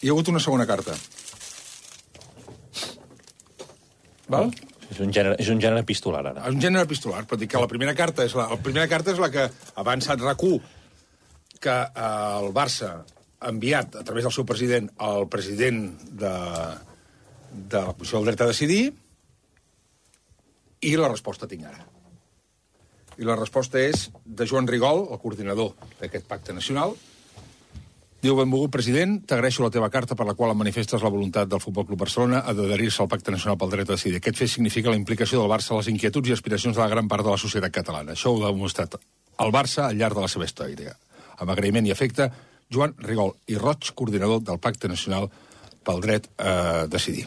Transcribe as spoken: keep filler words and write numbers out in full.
Hi ha hagut una segona carta. Val? És un gènere, és un gènere epistolar, ara. És un gènere epistolar, però dic que la primera carta és la, la primera carta és la que ha avançat RAC u, que eh, el Barça ha enviat a través del seu president al president de, de la Comissió del Dret a Decidir, i la resposta tinc ara. I la resposta és de Joan Rigol, el coordinador d'aquest pacte nacional. Diu: benvolgut president, t'agraeixo la teva carta per la qual em manifestes la voluntat del Futbol Club Barcelona d'adherir-se al Pacte Nacional pel Dret a Decidir. Aquest fet significa la implicació del Barça a les inquietuds i aspiracions de la gran part de la societat catalana. Això ho ha demostrat el Barça al llarg de la seva història. Amb agraïment i afecte, Joan Rigol i Roig, coordinador del Pacte Nacional pel Dret a Decidir.